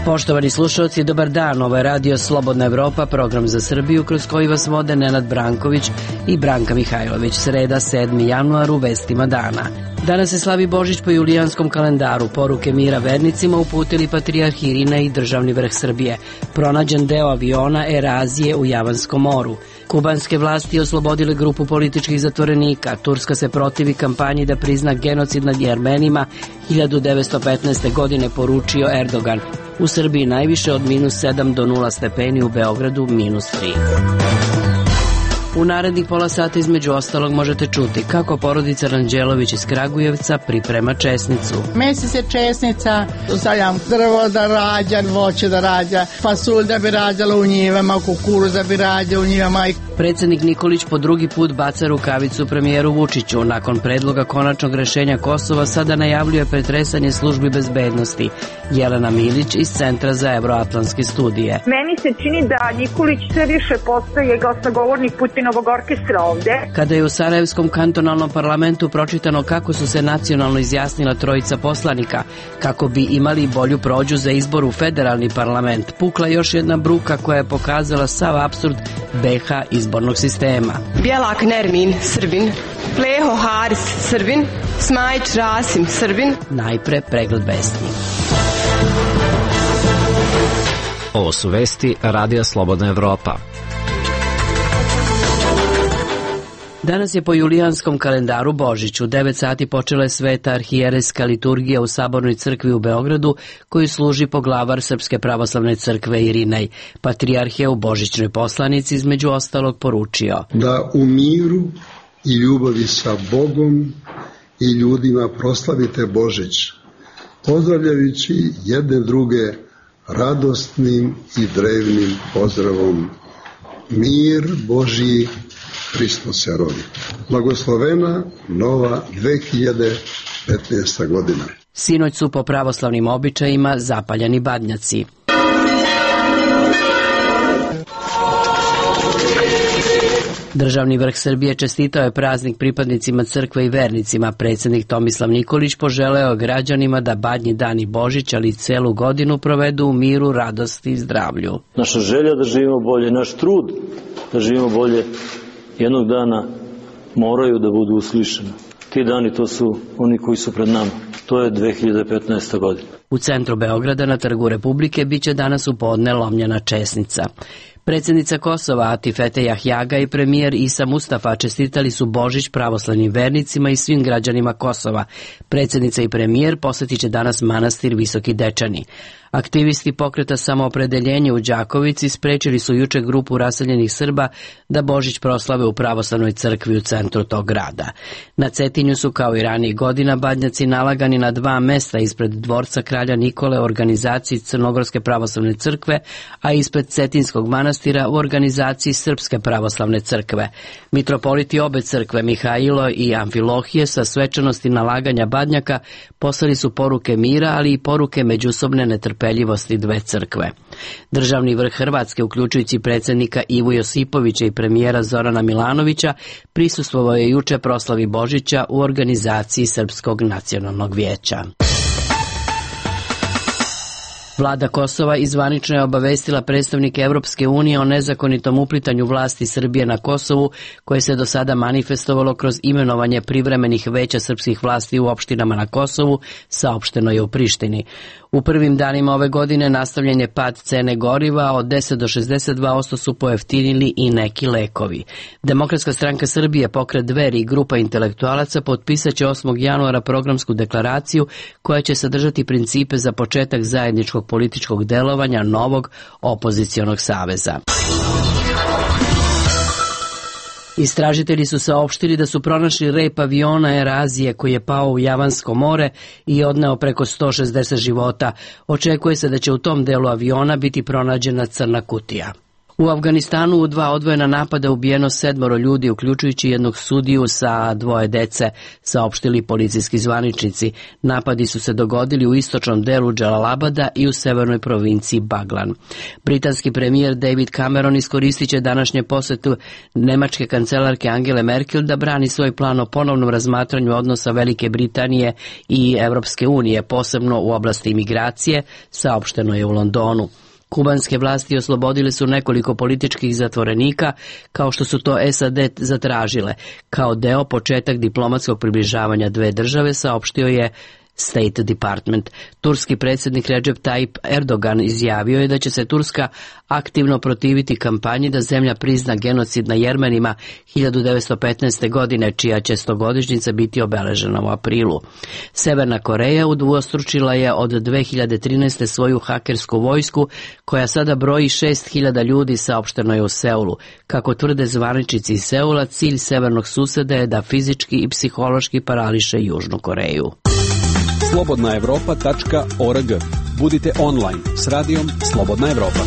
Poštovani slušalci, dobar dan. Ovo je Radio Slobodna Evropa, program za Srbiju kroz koji vas vode Nenad Branković i Branka Mihajlović. Sreda, 7. januar, u vestima dana. Danas se slavi Božić po julijanskom kalendaru. Poruke mira vernicima uputili patrijarh Irina i državni vrh Srbije. Pronađen deo aviona Erazije u Javanskom moru. Kubanske vlasti oslobodile grupu političkih zatvorenika. Turska se protivi kampanji da prizna genocid nad Jermenima 1915. godine, poručio Erdogan. U Srbiji najviše od -7 do 0 stepeni, u Beogradu -3. U narednih pola sata između ostalog možete čuti kako porodica Ranđelović iz Kragujevca priprema česnicu. Mesi se česnica, stavljam drvo da rađa, voće da rađa, fasulj da bi rađala u njivama, kukuruz da bi rađa u njivama. Predsjednik Nikolić po drugi put baca rukavicu premijeru Vučiću. Nakon predloga konačnog rešenja Kosova sada najavljuje pretresanje službi bezbednosti. Jelena Milić iz Centra za evroatlantske studije. Meni se čini da Nikolić sve više postaje glasnogovornik Putinovog orkestra ovde. Kada je u Sarajevskom kantonalnom parlamentu pročitano kako su se nacionalno izjasnila trojica poslanika, kako bi imali bolju prođu za izbor u federalni parlament, pukla još jedna bruka koja je pokazala sav apsurd BH izbornog sistema. Bjelak Nermin, Srbin. Pleho Haris, Srbin. Smajić Rasim, Srbin. Najpre pregled vesti. Ovo su vesti Radija Slobodna Evropa. Danas je po julijanskom kalendaru Božić. U 9 sati počela je sveta arhijerejska liturgija u Sabornoj crkvi u Beogradu, koju služi poglavar Srpske pravoslavne crkve Irinej. Patrijarh je u božićnoj poslanici između ostalog poručio: da u miru i ljubavi sa Bogom i ljudima proslavite Božić, pozdravljajući jedne druge radosnim i drevnim pozdravom. Mir Božji, Hristos se rodi. Blagoslovena nova 2015. godina. Sinoć su po pravoslavnim običajima zapaljeni badnjaci. Državni vrh Srbije čestitao je praznik pripadnicima crkve i vernicima. Predsjednik Tomislav Nikolić poželeo građanima da badnji dan i Božić, ali i celu godinu provedu u miru, radosti i zdravlju. Naša želja da živimo bolje, naš trud da živimo bolje, jednog dana moraju da budu uslišeni. Ti dani, to su oni koji su pred nama. To je 2015. godina. U centru Beograda na Trgu Republike biće danas u podne lomljena česnica. Predsjednica Kosova Atifete Jahjaga i premijer Isa Mustafa čestitali su Božić pravoslavnim vernicima i svim građanima Kosova. Predsjednica i premijer posjetit će danas manastir Visoki Dečani. Aktivisti pokreta Samoopredeljenje u Đakovici sprečili su juče grupu raseljenih Srba da Božić proslave u pravoslavnoj crkvi u centru tog grada. Na Cetinju su kao i ranijih godina badnjaci nalagani na 2 mesta ispred dvorca kralja Nikole u organizaciji Crnogorske pravoslavne crkve, a ispred Cetinskog manastira u organizaciji Srpske pravoslavne crkve. Mitropoliti obe crkve, Mihajlo i Amfilohije, sa svečanosti nalaganja badnjaka poslali su poruke mira, ali i poruke međusobne netrpeljivosti dve crkve. Državni vrh Hrvatske, uključujući predsjednika Ivu Josipovića i premijera Zorana Milanovića, prisustvovao je juče proslavi Božića u organizaciji Srpskog nacionalnog vijeća. Vlada Kosova izvanično je obavestila predstavnike Evropske unije o nezakonitom uplitanju vlasti Srbije na Kosovu, koje se do sada manifestovalo kroz imenovanje privremenih veća srpskih vlasti u opštinama na Kosovu, saopšteno je u Prištini. U prvim danima ove godine nastavljen je pad cene goriva, od 10 do 62% su pojeftinili i neki lekovi. Demokratska stranka Srbije, pokret Dveri i grupa intelektualaca potpisat će 8. januara programsku deklaraciju koja će sadržati principe za početak zajedničkog političkog delovanja novog opozicionog saveza. Istražitelji su saopštili da su pronašli rep aviona Erazije koji je pao u Javansko more i odneo preko 160 života. Očekuje se da će u tom delu aviona biti pronađena crna kutija. U Afganistanu u 2 odvojena napada ubijeno 7 ljudi, uključujući jednog sudiju sa 2 dece, saopštili policijski zvaničnici. Napadi su se dogodili u istočnom delu Džalalabada i u severnoj provinciji Baglan. Britanski premijer David Cameron iskoristit će današnje posetu nemačke kancelarke Angele Merkel da brani svoj plan o ponovnom razmatranju odnosa Velike Britanije i Evropske unije, posebno u oblasti imigracije, saopšteno je u Londonu. Kubanske vlasti oslobodile su nekoliko političkih zatvorenika, kao što su to SAD zatražile. Kao deo početak diplomatskog približavanja 2 države, saopštio je State Department. Turski predsjednik Recep Tayyip Erdogan izjavio je da će se Turska aktivno protiviti kampanji da zemlja prizna genocid na Jermenima 1915. godine, čija će 100-godišnjica biti obeležena u aprilu. Severna Koreja udvostručila je od 2013. svoju hakersku vojsku, koja sada broji 6.000 ljudi, saopšteno je u Seulu. Kako tvrde zvaničnici iz Seula, cilj severnog suseda je da fizički i psihološki parališe Južnu Koreju. slobodnaevropa.org. Budite online s radijom Slobodna Evropa.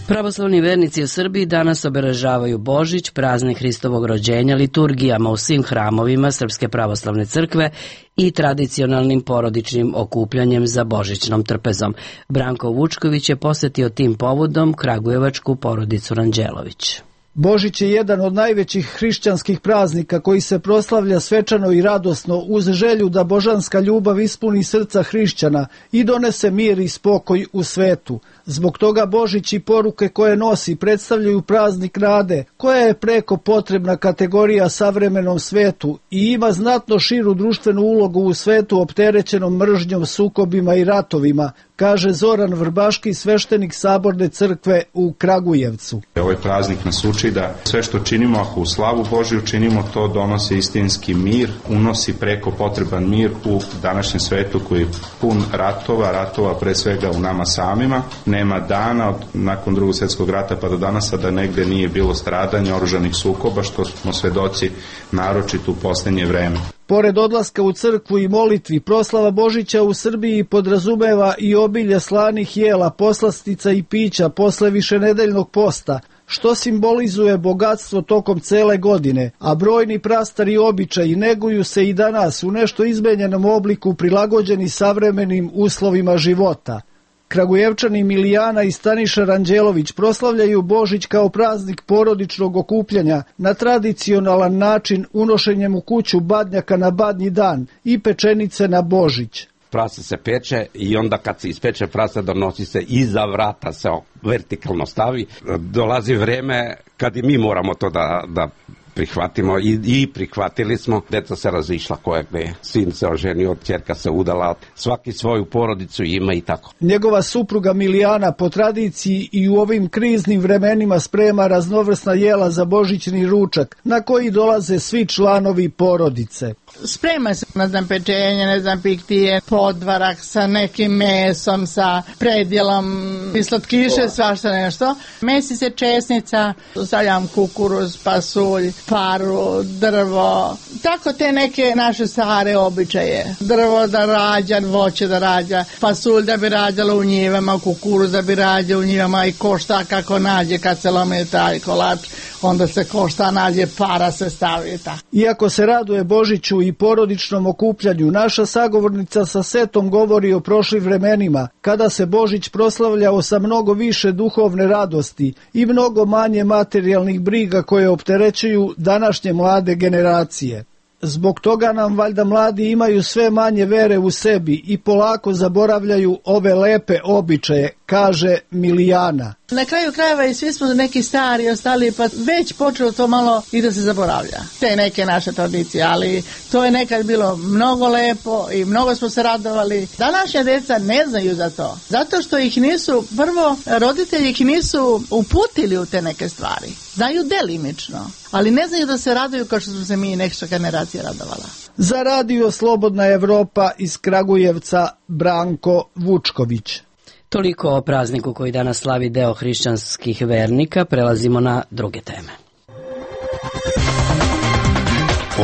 Pravoslavni vernici u Srbiji danas obeležavaju Božić, praznik Hristovog rođenja, liturgijama u svim hramovima Srpske pravoslavne crkve i tradicionalnim porodičnim okupljanjem za božićnom trpezom. Branko Vučković je posetio tim povodom kragujevačku porodicu Ranđelović. Božić je jedan od najvećih hrišćanskih praznika koji se proslavlja svečano i radosno uz želju da božanska ljubav ispuni srca hrišćana i donese mir i spokoj u svetu. Zbog toga Božić i poruke koje nosi predstavljaju praznik nade, koja je preko potrebna kategorija savremenom svetu i ima znatno širu društvenu ulogu u svetu opterećenom mržnjom, sukobima i ratovima, kaže Zoran Vrbaški, sveštenik Saborne crkve u Kragujevcu. Ovaj praznik nas uči da sve što činimo, ako u slavu Božiju činimo, to donosi istinski mir, unosi preko potreban mir u današnjem svetu koji je pun ratova pre svega u nama samima. Nema dana nakon Drugog svjetskog rata pa do danas da negde nije bilo stradanja, oružanih sukoba, što smo svedoci naročito u posljednje vreme. Pored odlaska u crkvu i molitvi, proslava Božića u Srbiji podrazumeva i obilje slanih jela, poslastica i pića posle višenedeljnog posta, što simbolizuje bogatstvo tokom cele godine, a brojni prastari običaji neguju se i danas u nešto izmenjenom obliku prilagođeni savremenim uslovima života. Kragujevčani Milijana i Staniša Ranđelović proslavljaju Božić kao praznik porodičnog okupljanja na tradicionalan način unošenjem u kuću badnjaka na badnji dan i pečenice na Božić. Prase se peče i onda kad se ispeče prase donosi se iza vrata, se vertikalno stavi. Dolazi vreme kad i mi moramo to da prihvatimo i prihvatili smo. Deca se razišla koje gde, sin se oženio, ćerka se udala, svaki svoju porodicu ima i tako. Njegova supruga Milijana po tradiciji i u ovim kriznim vremenima sprema raznovrsna jela za božićni ručak, na koji dolaze svi članovi porodice. Sprema se, pečenje, piktije, podvarak sa nekim mesom, sa predjelom i slatkiše, svašta nešto. Mesi se česnica, stavljam kukuruz, pasulj, paru, drvo, tako te neke naše stare običaje. Drvo da rađa, voće da rađa, pasulj da bi rađalo u njivama, kukuruz da bi rađao u njivama i košta kako nađe kad se lome taj kolač, onda se košta nađe, para se stavi. Iako se raduje Božiću i porodičnom okupljanju, naša sagovornica sa setom govori o prošlim vremenima, kada se Božić proslavljao sa mnogo više duhovne radosti i mnogo manje materijalnih briga koje opterećuju današnje mlade generacije. Zbog toga nam valjda mladi imaju sve manje vere u sebi i polako zaboravljaju ove lepe običaje, kaže Milijana. Na kraju krajeva i svi smo neki stari ostali, pa već počelo to malo i da se zaboravlja. Te neke naše tradicije, ali to je nekad bilo mnogo lepo i mnogo smo se radovali. Današnja deca ne znaju za to. Zato što ih nisu, prvo, roditelji ih nisu uputili u te neke stvari. Znaju delimično, ali ne znaju da se raduju kao što smo se mi neka generacija radovala. Za radio Slobodna Evropa iz Kragujevca, Branko Vučković. Toliko o prazniku koji danas slavi deo hrišćanskih vernika. Prelazimo na druge teme.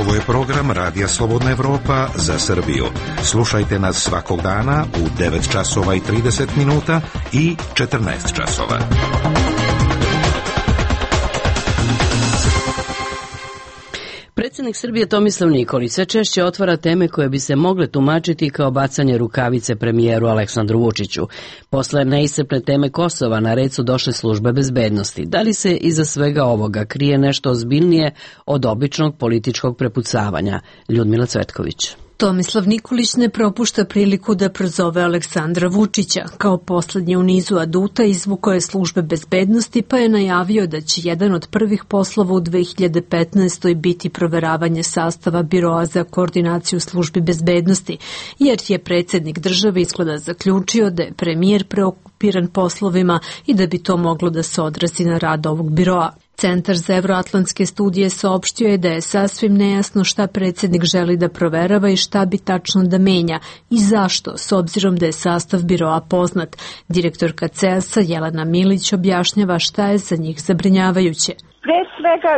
Ovo je program Radija Slobodna Evropa za Srbiju. Slušajte nas svakog dana u 9 časova i 30 minuta i 14 časova. Predsjednik Srbije Tomislav Nikolić sve češće otvara teme koje bi se mogle tumačiti kao bacanje rukavice premijeru Aleksandru Vučiću. Posle neiscrpne teme Kosova na red su došle službe bezbednosti. Da li se iza svega ovoga krije nešto ozbiljnije od običnog političkog prepucavanja? Ljudmila Cvetković. Tomislav Nikolić ne propušta priliku da prozove Aleksandra Vučića. Kao poslednji u nizu aduta izvukao je službe bezbednosti pa je najavio da će jedan od prvih poslova u 2015. biti proveravanje sastava Biroa za koordinaciju službi bezbednosti, jer je predsjednik države izgleda zaključio da je premijer preokupiran poslovima i da bi to moglo da se odrazi na rad ovog biroa. Centar za evroatlantske studije saopštio je da je sasvim nejasno šta predsjednik želi da proverava i šta bi tačno da menja i zašto, s obzirom da je sastav biroa poznat. Direktorka CEAS-a Jelena Milić objašnjava šta je za njih zabrinjavajuće. Pre svega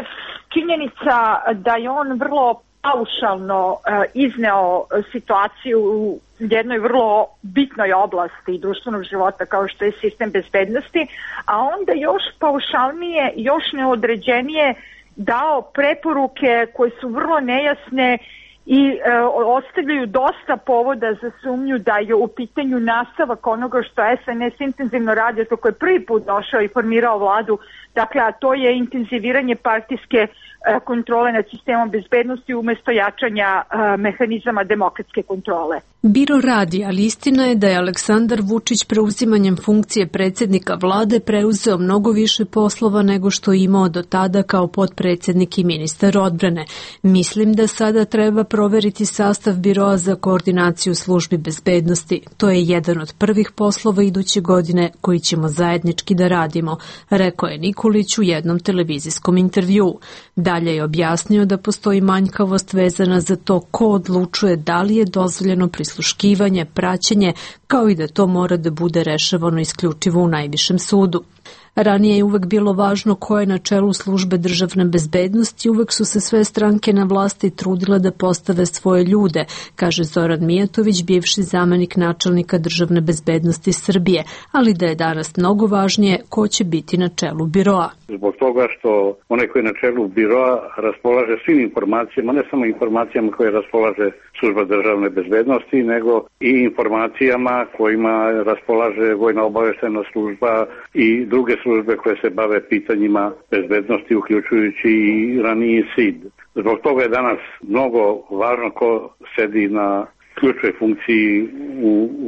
činjenica da je on vrlo paušalno izneo situaciju u jednoj vrlo bitnoj oblasti društvenog života kao što je sistem bezbednosti, a onda još paušalnije, još neodređenije dao preporuke koje su vrlo nejasne i ostavljaju dosta povoda za sumnju da je u pitanju nastavak onoga što SNS intenzivno radi, to koje je prvi put došao i formirao vladu, dakle, a to je intenziviranje partijske kontrole nad sistemom bezbednosti umjesto jačanja mehanizama demokratske kontrole. Biro radi, ali istina je da je Aleksandar Vučić preuzimanjem funkcije predsjednika vlade preuzeo mnogo više poslova nego što je imao do tada kao potpredsjednik i ministar odbrane. Mislim da sada treba proveriti sastav Biroa za koordinaciju službi bezbednosti. To je jedan od prvih poslova iduće godine koji ćemo zajednički da radimo, rekao je Nikolić u jednom televizijskom intervjuu. Dalje je objasnio da postoji manjkavost vezana za to ko odlučuje da li je dozvoljeno prisluškivanje, praćenje, kao i da to mora da bude rešavano isključivo u najvišem sudu. Ranije je uvek bilo važno ko je na čelu službe državne bezbednosti, uvek su se sve stranke na vlasti trudile da postave svoje ljude, kaže Zoran Mijatović, bivši zamenik načelnika državne bezbednosti Srbije, ali da je danas mnogo važnije ko će biti na čelu biroa. Zbog toga što onaj koji je na čelu biroa raspolaže svim informacijama, ne samo informacijama koje raspolaže služba državne bezbednosti, nego i informacijama kojima raspolaže vojna obaveštajna služba i druge službe koje se bave pitanjima bezbednosti, uključujući i raniji SID. Zbog toga je danas mnogo važno ko sedi na ključnoj funkciji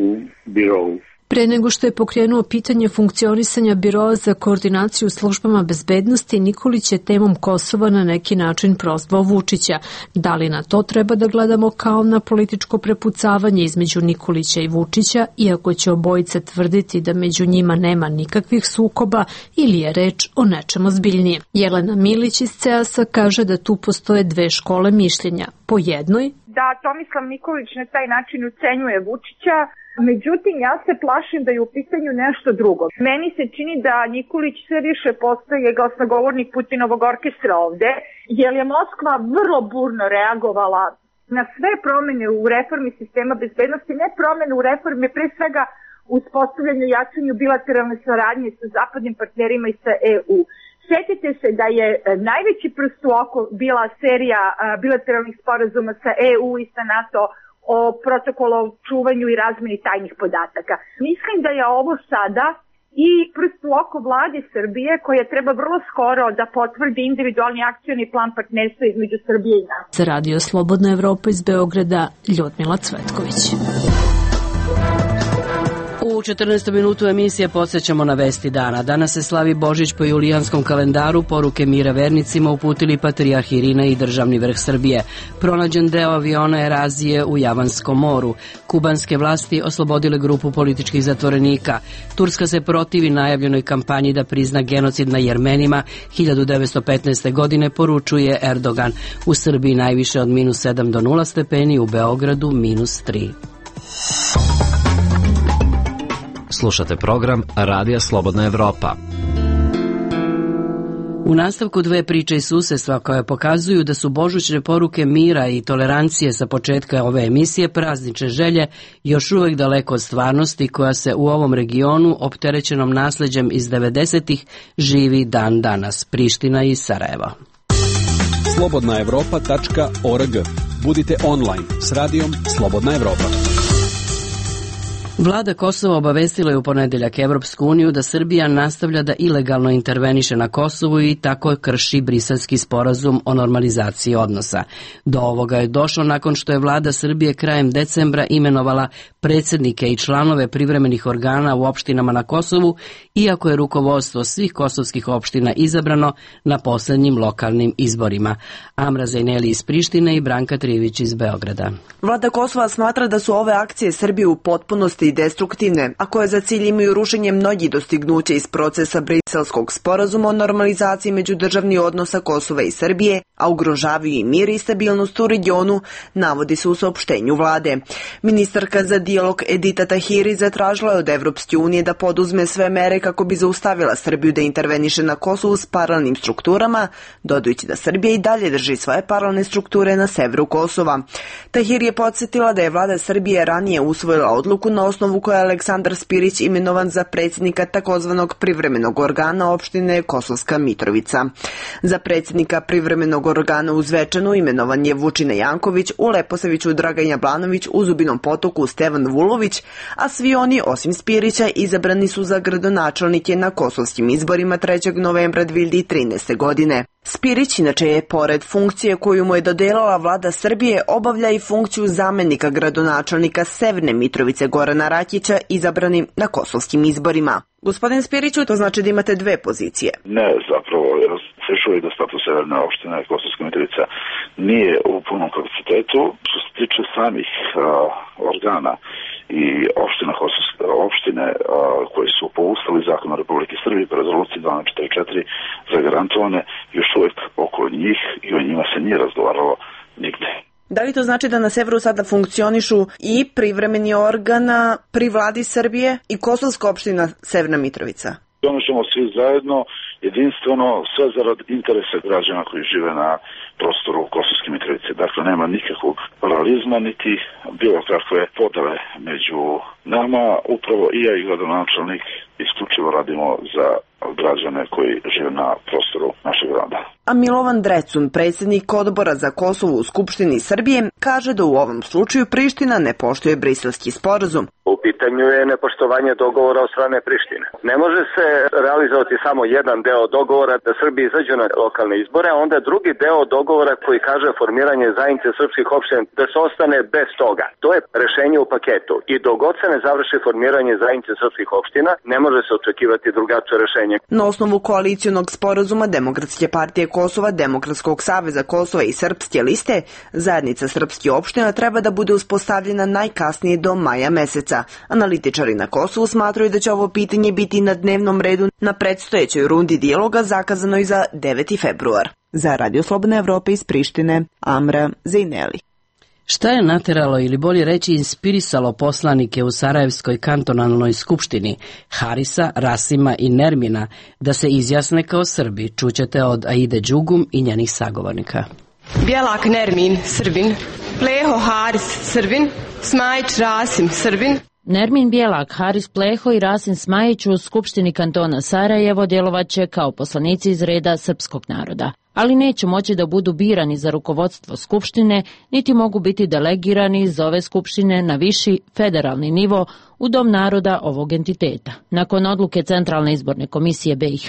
u birovu. Pre nego što je pokrenuo pitanje funkcionisanja Biroa za koordinaciju službama bezbednosti, Nikolić je temom Kosova na neki način prozvao Vučića. Da li na to treba da gledamo kao na političko prepucavanje između Nikolića i Vučića, iako će obojica tvrditi da među njima nema nikakvih sukoba, ili je reč o nečem ozbiljnijem? Jelena Milić iz CEAS-a kaže da tu postoje dve škole mišljenja. Po jednoj da Tomislav Nikolić na taj način ucenjuje Vučića, međutim ja se plašim da je u pitanju nešto drugo. Meni se čini da Nikolić sve više postaje glasnogovornik Putinovog orkestra ovde, jer je Moskva vrlo burno reagovala na sve promene u reformi sistema bezbednosti, ne promene u reformi, pre svega uspostavljanju i jačanju bilateralne saradnje sa zapadnim partnerima i sa EU. Sjetite se da je najveći prst u oko bila serija bilateralnih sporazuma sa EU i sa NATO o protokolu o čuvanju i razmeni tajnih podataka. Mislim da je ovo sada i prst u oko vlade Srbije koja treba vrlo skoro da potvrdi individualni akcioni plan partnerstva između Srbije i NATO. Za Radio Slobodna Evropa iz Beograda, Ljudmila Cvetković. U 14. minutu emisije podsjećamo na vesti dana. Danas se slavi Božić po julijanskom kalendaru. Poruke mira vernicima uputili patrijarh Irina i državni vrh Srbije. Pronađen deo aviona Erazije u Javanskom moru. Kubanske vlasti oslobodile grupu političkih zatvorenika. Turska se protivi najavljenoj kampanji da prizna genocid na Jermenima 1915. godine, poručuje Erdogan. U Srbiji najviše od -7 do 0 stepeni, u Beogradu -3. Slušate program Radija Slobodna Evropa. U U nastavku dve priče iz susjedstva koje pokazuju da su božićne poruke mira i tolerancije sa početka ove emisije praznične želje još uvijek daleko od stvarnosti koja se u ovom regionu opterećenom nasleđem iz 90-ih živi dan danas. Priština i Sarajevo. Slobodnaevropa.org. Budite online s radijom Slobodna Evropa. Vlada Kosova obavestila je u ponedeljak Evropsku uniju da Srbija nastavlja da ilegalno interveniše na Kosovu i tako krši Briselski sporazum o normalizaciji odnosa. Do ovoga je došlo nakon što je vlada Srbije krajem decembra imenovala predsjednike i članove privremenih organa u opštinama na Kosovu, iako je rukovodstvo svih kosovskih opština izabrano na posljednjim lokalnim izborima. Amra Zajneli iz Prištine i Branka Trijević iz Beograda. Vlada Kosova smatra da su ove akcije Srbije u potpunosti i destruktivne, a koje za cilj imaju rušenje mnogih dostignuća iz procesa Briselskog sporazuma o normalizaciji međudržavnih odnosa Kosova i Srbije, a ugrožavaju i mir i stabilnost u regionu, navodi se u saopštenju vlade. Ministarka za dijalog Edita Tahiri zatražila je od Evropske unije da poduzme sve mere kako bi zaustavila Srbiju da interveniše na Kosovu s paralelnim strukturama, dodajući da Srbija i dalje drži svoje paralelne strukture na severu Kosova. Tahiri je podsjetila da je vlada Srbije ranije usvojila odluku na osnovu koja je Aleksandar Spirić imenovan za predsjednika takozvanog privremenog organa opštine Kosovska Mitrovica. Za predsjednika privremenog organa u Zvečanu imenovan je Vučina Janković, u Leposaviću Dragan Jablanović, u Zubinom Potoku Stevan Vulović, a svi oni osim Spirića izabrani su za gradonačelnike na kosovskim izborima 3. novembra 2013. godine. Spirić inače je, pored funkcije koju mu je dodelila vlada Srbije, obavlja i funkciju zamjenika gradonačelnika Severne Mitrovice Gorana Rakića izabranim na kosovskim izborima. Gospodin Spiriću, to znači da imate dve pozicije. Ne, zapravo, se još uvijek da status Severne opštine Kosovska Mitrovica nije u punom kapacitetu. Što se tiče samih organa i opštine koji su po Ustavu i zakonu Republike Srbije po rezoluciji 1244 zagarantovane, još uvijek oko njih i o njima se nije razgovaralo nigde. Da li to znači da na severu sada funkcionišu i privremeni organa pri vladi Srbije i kosovska opština Severna Mitrovica? Ono ćemo svi zajedno, jedinstveno, sve zarad interesa građana koji žive na prostoru Kosovske Mitrovice. Dakle, nema nikakvog paralizma, niti bilo kakve podele među nama. Upravo i ja i gradonačelnik isključivo radimo za građane koji žive na prostoru našeg grada. A Milovan Drecun, predsjednik odbora za Kosovo u Skupštini Srbije, kaže da u ovom slučaju Priština ne poštuje Briselski sporazum. U pitanju je nepoštovanje dogovora od strane Prištine. Ne može se realizovati samo jedan deo dogovora da Srbi izađu na lokalne izbore, a onda drugi deo dogovora koji kaže formiranje zajednice srpskih opština da se ostane bez toga. To je rešenje u paketu i dok god se ne završi formiranje zajednice srpskih opština, ne može se očekivati drugačije rešenje. Na osnovu koalicionog sporazuma Demokratske partije Kosova, Demokratskog saveza Kosova i Srpske liste, zajednica srpskih opština treba da bude uspostavljena najkasnije do maja meseca. Analitičari na Kosovu smatraju da će ovo pitanje biti na dnevnom redu na predstojećoj rundi dijaloga zakazanoj za 9. februar. Za Radio Slobodna Evropa iz Prištine, Amra Zajneli. Šta je nateralo ili bolje reći inspirisalo poslanike u Sarajevskoj kantonalnoj skupštini Harisa, Rasima i Nermina da se izjasne kao Srbi? Čućete od Aide Đugum i njenih sagovornika. Bjelak Nermin, Srbin. Pleho Haris, Srbin. Smajić Rasim, Srbin. Nermin Bjelak, Haris Pleho i Rasim Smajić u Skupštini kantona Sarajevo djelovaće kao poslanici iz reda srpskog naroda, ali neće moći da budu birani za rukovodstvo Skupštine, niti mogu biti delegirani iz ove Skupštine na viši federalni nivo u Dom naroda ovog entiteta. Nakon odluke Centralne izborne komisije BiH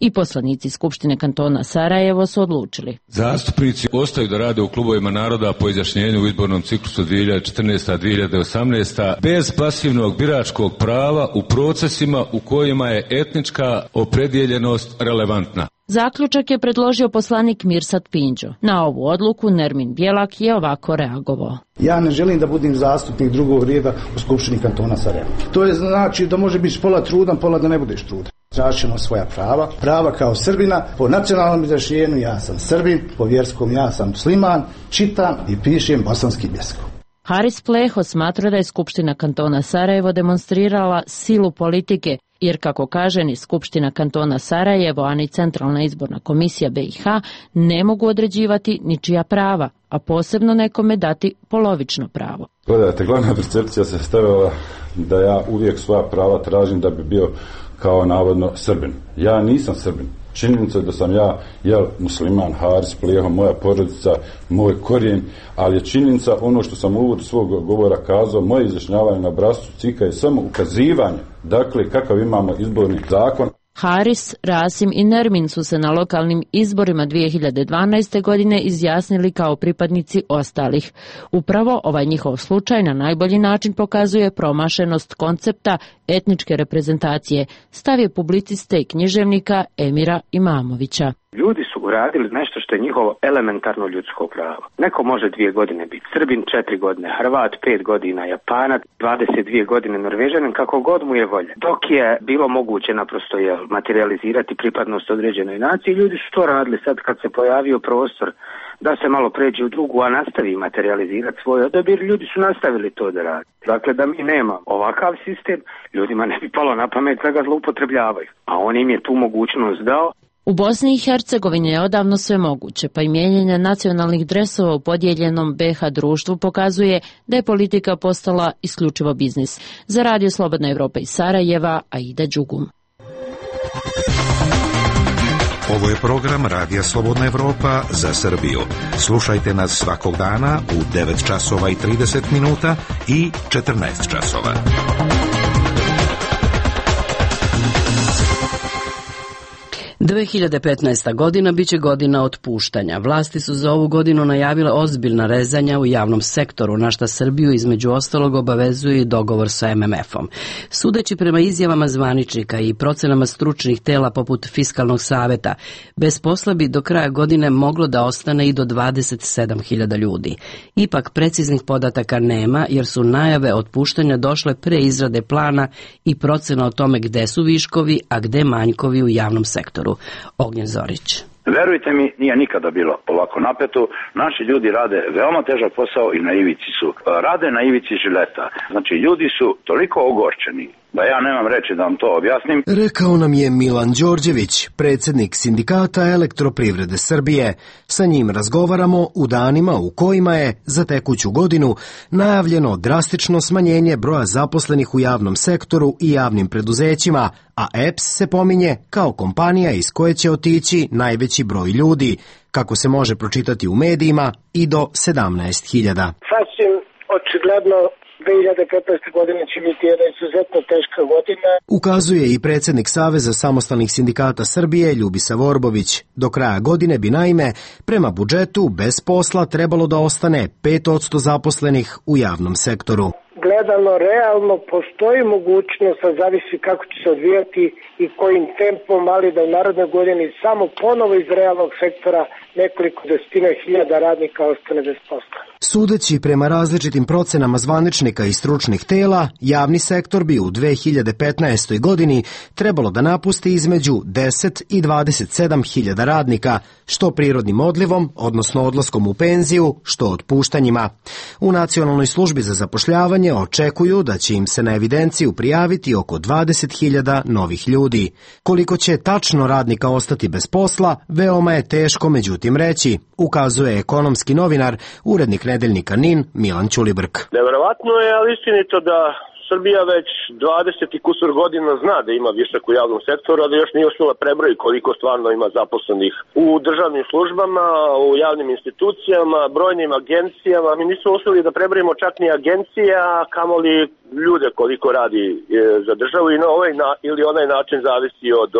i poslanici Skupštine kantona Sarajevo su odlučili. Zastupnici ostaju da rade u klubovima naroda po izjašnjenju u izbornom ciklusu 2014-2018 bez pasivnog biračkog prava u procesima u kojima je etnička opredjeljenost relevantna. Zaključak je predložio poslanik Mirsad Pinđo. Na ovu odluku Nermin Bjelak je ovako reagovao. Ja ne želim da budem zastupnik drugog reda u Skupštini kantona Sarajevo. To je znači da može biti pola trudan, pola da ne budeš trudan. Tražimo svoja prava. Prava kao Srbina, po nacionalnom izjašnjenju ja sam Srbin, po vjerskom ja sam musliman, čitam i pišem bosanskim jezikom. Haris Pleho smatra da je Skupština kantona Sarajevo demonstrirala silu politike, jer kako kaže ni Skupština kantona Sarajevo, a ni Centralna izborna komisija BiH ne mogu određivati ničija prava, a posebno nekome dati polovično pravo. Gledajte, glavna percepcija se stavila da ja uvijek svoja prava tražim da bi bio kao navodno Srbin. Ja nisam Srbin. Činjenica je da sam ja musliman, Haris Pleho, moja porodica, moj korijen, ali je činjenica ono što sam u uvodu svog govora kazao, moje izjašnjavanje na obrascu CIK-a je samo ukazivanje, dakle kakav imamo izborni zakon. Haris, Rasim i Nermin su se na lokalnim izborima 2012. godine izjasnili kao pripadnici ostalih. Upravo ovaj njihov slučaj na najbolji način pokazuje promašenost koncepta etničke reprezentacije, stav je publiciste i književnika Emira Imamovića. Ljudi su uradili nešto što je njihovo elementarno ljudsko pravo. Neko može 2 godine biti Srbin, 4 godine Hrvat, 5 godina Japanac, 22 godine Norvežanin, kako god mu je volja. Dok je bilo moguće naprosto materializirati pripadnost određenoj naciji, ljudi su to radili. Sad kad se pojavio prostor da se malo pređe u drugu, a nastavi materializirati svoj odabir, ljudi su nastavili to da radi. Dakle, da mi nema ovakav sistem, ljudima ne bi palo na pamet da ga zloupotrebljavaju. A on im je tu mogućnost dao. U Bosni i Hercegovini je odavno sve moguće, pa i mijenjanje nacionalnih dresova u podijeljenom BiH društvu pokazuje da je politika postala isključivo biznis. Za Radio Slobodna Evropa iz Sarajeva, Aida Đugum. Ovo je program Radija Slobodna Evropa za Srbiju. Slušajte nas svakog dana u 9 časova i 30 minuta i 14 časova. – 2015. godina biće godina otpuštanja. Vlasti su za ovu godinu najavile ozbiljna rezanja u javnom sektoru, na šta Srbiju između ostalog obavezuje i dogovor sa MMF-om. Sudeći prema izjavama zvaničnika i procenama stručnih tela poput Fiskalnog saveta, bez posla bi do kraja godine moglo da ostane i do 27.000 ljudi. Ipak preciznih podataka nema, jer su najave otpuštanja došle pre izrade plana i procena o tome gde su viškovi, a gde manjkovi u javnom sektoru. Ognjen Zorić. Verujte mi, nije nikada bilo ovako napeto. Naši ljudi rade veoma težak posao i na ivici su. Rade na ivici žileta. Znači, ljudi su toliko ogorčeni da ja nemam reći da vam to objasnim. Rekao nam je Milan Đorđević, predsjednik Sindikata Elektroprivrede Srbije. Sa njim razgovaramo u danima u kojima je za tekuću godinu najavljeno drastično smanjenje broja zaposlenih u javnom sektoru i javnim preduzećima, a EPS se pominje kao kompanija iz koje će otići najveći broj ljudi, kako se može pročitati u medijima, i do 17.000. Sasvim očigledno 2015. godine će biti jedna izuzetno teška godina. Ukazuje i predsjednik Saveza samostalnih sindikata Srbije Ljubisa Vorbović. Do kraja godine bi naime prema budžetu bez posla trebalo da ostane 5% zaposlenih u javnom sektoru. Gledano realno postoji mogućnost, a zavisi kako će se odvijati i kojim tempom, ali da u narodnoj godini samo ponovo iz realnog sektora nekoliko desetina hiljada radnika ostane bez posla. Sudeći prema različitim procenama zvaničnika i stručnih tela, javni sektor bi u 2015. godini trebalo da napusti između 10 i 27.000 radnika, što prirodnim odlivom, odnosno odlaskom u penziju, što otpuštanjima. U Nacionalnoj službi za zapošljavanje očekuju da će im se na evidenciju prijaviti oko 20.000 novih ljudi. Koliko će tačno radnika ostati bez posla, veoma je teško međutim reći, ukazuje ekonomski novinar, urednik nedeljnika NIN Milan Ćulibrk. Neverovatno je, ali istinito da Srbija već 20 i kusur godina zna da ima višak u javnom sektoru, ali još nije uspjela prebrojiti koliko stvarno ima zaposlenih u državnim službama, u javnim institucijama, brojnim agencijama. Mi nismo uspjeli da prebrojimo čak ni agencija, kamoli ljude koliko radi za državu i na ovaj ili onaj način zavisi od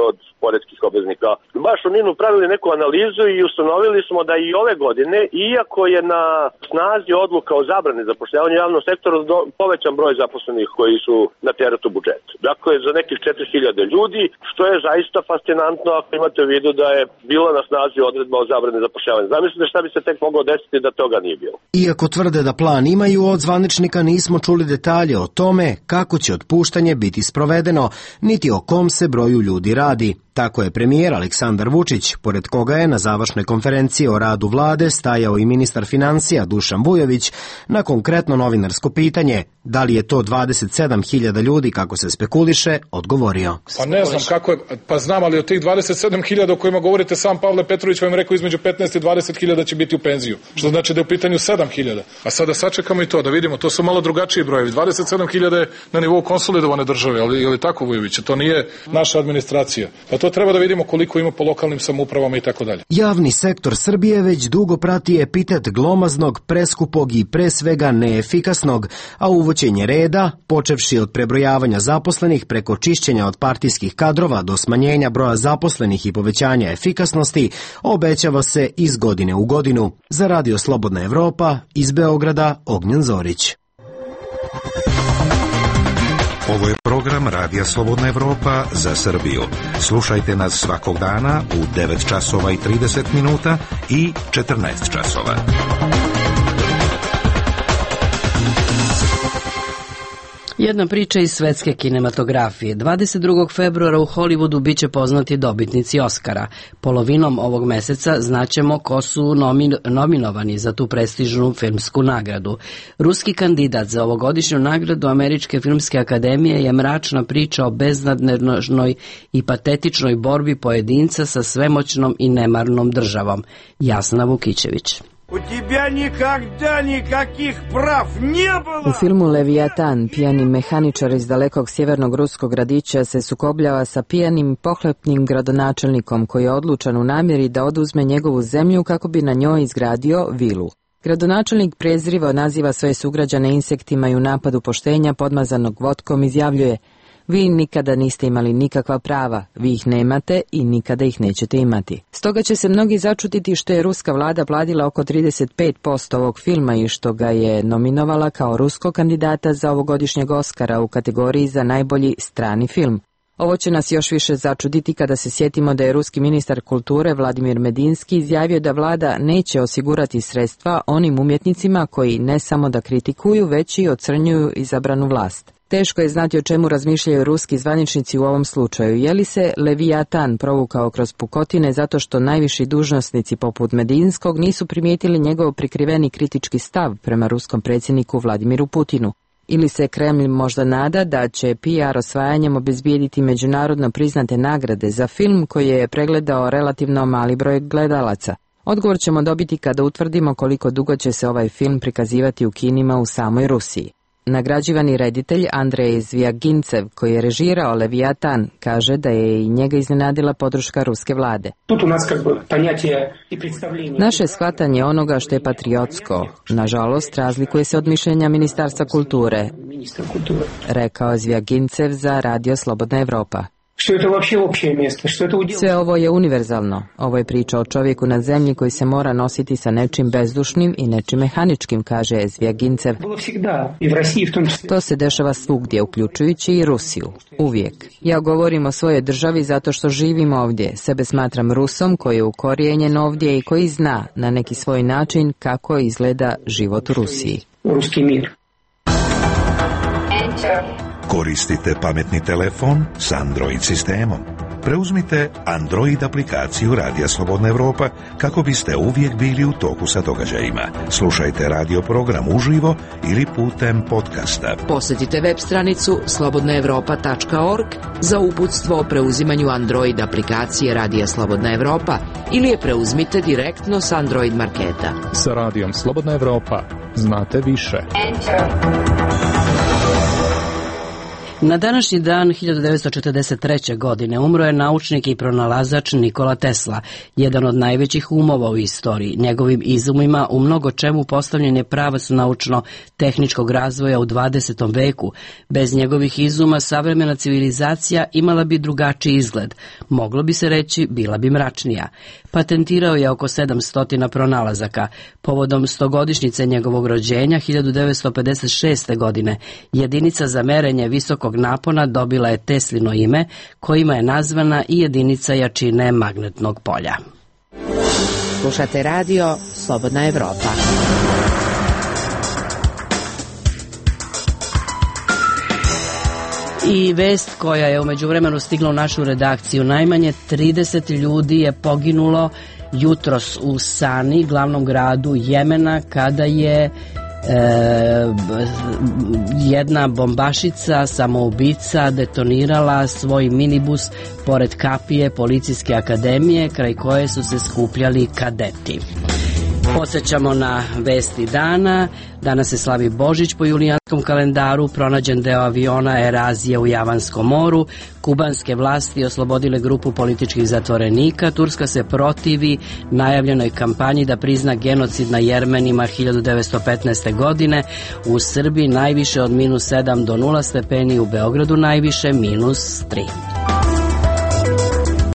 poreskih obveznika. Baš u NIN-u pravili neku analizu i ustanovili smo da i ove godine, iako je na snazi odluka o zabrani zapošljavanja u javnom sektoru, povećan broj zaposlenih u koji su na teretu budžeta. Dakle, za nekih 4000 ljudi, što je zaista fascinantno ako imate u vidu da je bila na snazi odredba o zabrani zapošljavanja. Zamislite šta bi se tek moglo desiti da toga nije bilo. Iako tvrde da plan imaju, od zvaničnika nismo čuli detalje o tome kako će otpuštanje biti sprovedeno, niti o kom se broju ljudi radi. Tako je premijer Aleksandar Vučić, pored koga je na završnoj konferenciji o radu vlade stajao i ministar financija Dušan Vujović, na konkretno novinarsko pitanje da li je to 27.000 ljudi kako se spekuliše, odgovorio. Pa ne znam kako je, pa znam, ali od tih 27.000 o kojima govorite, sam Pavle Petrović vam rekao između 15 i 20.000 će biti u penziju, što znači da je u pitanju 7.000. A sada sačekamo i to da vidimo, to su malo drugačiji brojevi. 27.000 je na nivou konsolidovane države, ali je li tako, Vujović? To nije naša administracija. Pa to treba da vidimo koliko ima po lokalnim samoupravama i tako dalje. Javni sektor Srbije već dugo prati epitet glomaznog, preskupog i pre svega neefikasnog, a uvođenje reda, počevši od prebrojavanja zaposlenih preko čišćenja od partijskih kadrova do smanjenja broja zaposlenih i povećanja efikasnosti, obećava se iz godine u godinu. Za Radio Slobodna Evropa, iz Beograda, Ognjen Zorić. Ovo je program Radija Slobodna Evropa za Srbiju. Slušajte nas svakog dana u 9 časova i 30 minuta i 14 časova. Jedna priča iz svetske kinematografije. 22. februara u Hollywoodu biće poznati dobitnici Oscara. Polovinom ovog meseca znaćemo ko su nominovani za tu prestižnu filmsku nagradu. Ruski kandidat za ovogodišnju nagradu Američke filmske akademije je mračna priča o beznadnežnoj i patetičnoj borbi pojedinca sa svemoćnom i nemarnom državom. Jasna Vukićević. U filmu Leviatan pijani mehaničar iz dalekog sjevernog ruskog gradića se sukobljava sa pijanim pohlepnim gradonačelnikom koji je odlučan u namjeri da oduzme njegovu zemlju kako bi na njoj izgradio vilu. Gradonačelnik prezrivo naziva svoje sugrađane insektima i u napadu poštenja podmazanog vodkom izjavljuje: vi nikada niste imali nikakva prava, vi ih nemate i nikada ih nećete imati. Stoga će se mnogi začutiti što je ruska vlada platila oko 35% ovog filma i što ga je nominovala kao ruskog kandidata za ovogodišnjeg Oscara u kategoriji za najbolji strani film. Ovo će nas još više začuditi kada se sjetimo da je ruski ministar kulture Vladimir Medinski izjavio da vlada neće osigurati sredstva onim umjetnicima koji ne samo da kritikuju, već i ocrnjuju izabranu vlast. Teško je znati o čemu razmišljaju ruski zvaničnici u ovom slučaju. Je li se Leviatan provukao kroz pukotine zato što najviši dužnosnici poput Medinskog nisu primijetili njegov prikriveni kritički stav prema ruskom predsjedniku Vladimiru Putinu? Ili se Kremlj možda nada da će PR osvajanjem obezbijediti međunarodno priznate nagrade za film koji je pregledao relativno mali broj gledalaca? Odgovor ćemo dobiti kada utvrdimo koliko dugo će se ovaj film prikazivati u kinima u samoj Rusiji. Nagrađivani reditelj Andrej Zvijagincev, koji je režirao Leviatan, kaže da je i njega iznenadila podrška ruske vlade. Naše shvatanje onoga što je patriotsko, nažalost, razlikuje se od mišljenja Ministarstva kulture, rekao Zvijagincev za Radio Slobodna Evropa. Sve ovo je univerzalno. Ovo je priča o čovjeku na zemlji koji se mora nositi sa nečim bezdušnim i nečim mehaničkim, kaže Zvijagincev. To se dešava svugdje, uključujući i Rusiju. Uvijek. Ja govorim o svojoj državi zato što živim ovdje. Sebe smatram Rusom koji je ukorijenjen ovdje i koji zna na neki svoj način kako izgleda život u Rusiji. Ruski mir. Koristite pametni telefon s Android sistemom. Preuzmite Android aplikaciju Radija Slobodna Evropa kako biste uvijek bili u toku sa događajima. Slušajte radio program uživo ili putem podcasta. Posjetite web stranicu slobodnaevropa.org za uputstvo o preuzimanju Android aplikacije Radija Slobodna Evropa ili je preuzmite direktno s Android marketa. Sa Radijom Slobodna Evropa znate više. Na današnji dan 1943. godine umro je naučnik i pronalazač Nikola Tesla, jedan od najvećih umova u istoriji. Njegovim izumima u mnogo čemu postavljen je pravac naučno-tehničkog razvoja u 20. veku. Bez njegovih izuma savremena civilizacija imala bi drugačiji izgled. Moglo bi se reći, bila bi mračnija. Patentirao je oko 700 pronalazaka. Povodom 100-godišnjice njegovog rođenja 1956. godine jedinica za merenje visokog napona dobila je Teslino ime, kojima je nazvana i jedinica jačine magnetnog polja. Slušate radio Slobodna Evropa. I vest koja je u međuvremenu stigla u našu redakciju. Najmanje 30 ljudi je poginulo jutros u Sani, glavnom gradu Jemena, kada je jedna bombašica, samoubica, detonirala svoj minibus pored kapije Policijske akademije, kraj koje su se skupljali kadeti. Podsjećamo na vesti dana. Danas se slavi Božić po julijanskom kalendaru, pronađen deo aviona Erazije u Javanskom moru, kubanske vlasti oslobodile grupu političkih zatvorenika, Turska se protivi najavljenoj kampanji da prizna genocid na Jermenima 1915. godine, u Srbiji najviše od -7 do 0 stepeni, u Beogradu najviše -3.